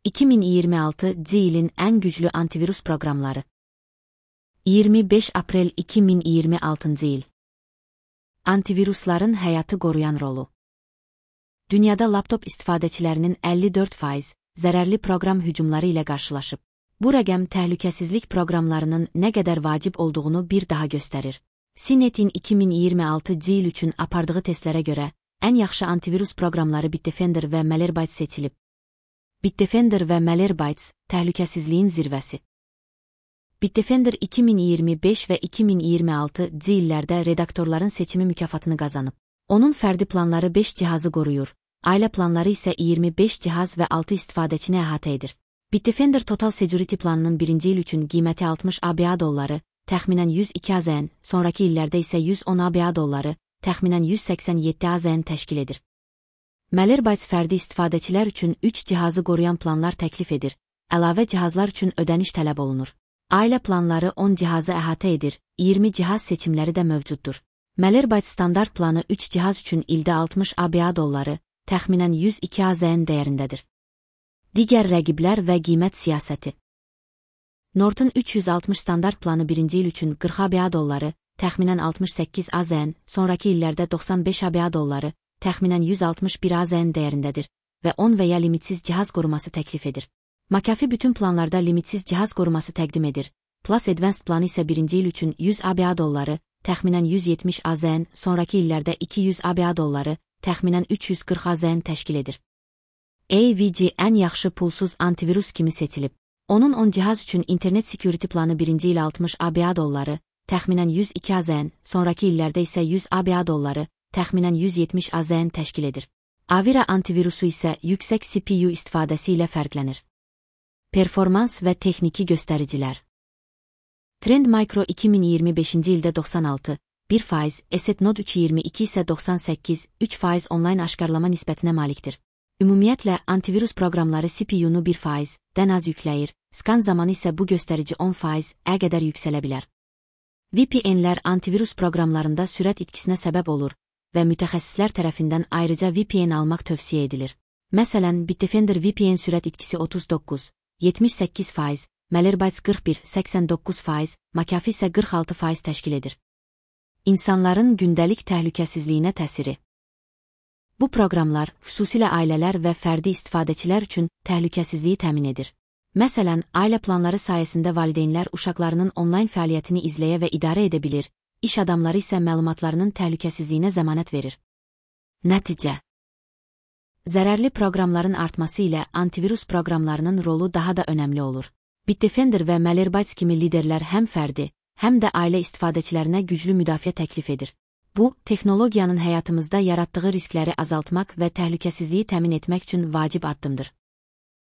2026 ilin ən güclü antivirus proqramları. 25 aprel 2026 il. Antivirusların həyatı qoruyan rolu. Dünyada laptop istifadəçilərinin 54% zərərli proqram hücumları ilə qarşılaşıb. Bu rəqəm təhlükəsizlik proqramlarının nə qədər vacib olduğunu bir daha göstərir. CNET-in 2026 il üçün apardığı testlərə görə, ən yaxşı antivirus proqramları Bitdefender və Malwarebytes seçilib. Bitdefender və Malwarebytes təhlükəsizliyin zirvəsi. Bitdefender 2025 və 2026 illərdə redaktorların seçimi mükafatını qazanıb. Onun fərdi planları 5 cihazı qoruyur, ailə planları isə 25 cihaz və 6 istifadəçini əhatə edir. Bitdefender Total Security planının birinci il üçün qiyməti 60 ABA dolları, təxminən 102 AZN, sonraki illərdə isə 110 ABA dolları, təxminən 187 AZN təşkil edir. Malwarebytes fərdi istifadəçilər üçün 3 cihazı qoruyan planlar təklif edir, əlavə cihazlar üçün ödəniş tələb olunur. Ailə planları 10 cihazı əhatə edir, 20 cihaz seçimləri də mövcuddur. Malwarebytes standart planı 3 cihaz üçün ildə 60 ABA dolları, təxminən 102 AZN dəyərindədir. Digər rəqiblər və qiymət siyasəti. Norton 360 standart planı birinci il üçün 40 ABA dolları, təxminən 68 AZN, sonraki illərdə 95 ABA dolları, təxminən 161 AZN dəyərindədir və 10 və ya limitsiz cihaz qoruması təklif edir. McAfee bütün planlarda limitsiz cihaz qoruması təqdim edir. Plus Advanced planı isə birinci il üçün 100 ABA dolları, təxminən 170 AZN, sonraki illərdə 200 ABA dolları, təxminən 340 AZN təşkil edir. AVG ən yaxşı pulsuz antivirus kimi seçilib. Onun 10 cihaz üçün Internet Security planı birinci il 60 ABA dolları, təxminən 102 AZN, sonraki illərdə isə 100 ABA dolları, təxminən 170 AZN təşkil edir. Avira antivirusu isə yüksək CPU istifadəsi ilə fərqlənir. Performans və texniki göstəricilər. Trend Micro 2025-ci ildə 96, 1%, Asset Node 322 isə 98, 3% onlayn aşkarlama nisbətinə malikdir. Ümumiyyətlə, antivirus proqramları CPU-nu 1%-dən az yükləyir, skan zamanı isə bu göstərici 10%-ə qədər yüksələ bilər. VPN-lər antivirus proqramlarında sürət itkisinə səbəb olur və mütəxəssislər tərəfindən ayrıca VPN almaq tövsiyə edilir. Məsələn, Bitdefender VPN sürət itkisi 39, 78%, Malwarebytes 41, 89%, McAfee isə 46% təşkil edir. İnsanların gündəlik təhlükəsizliyinə təsiri. Bu proqramlar, xüsusilə ailələr və fərdi istifadəçilər üçün təhlükəsizliyi təmin edir. Məsələn, ailə planları sayəsində valideynlər uşaqlarının onlayn fəaliyyətini izləyə və idarə edə bilir, iş adamları isə məlumatlarının təhlükəsizliyinə zəmanət verir. Nəticə. Zərərli proqramların artması ilə antivirus proqramlarının rolu daha da önəmli olur. Bitdefender və Malwarebytes kimi liderlər həm fərdi, həm də ailə istifadəçilərinə güclü müdafiə təklif edir. Bu, texnologiyanın həyatımızda yaratdığı riskləri azaltmaq və təhlükəsizliyi təmin etmək üçün vacib addımdır.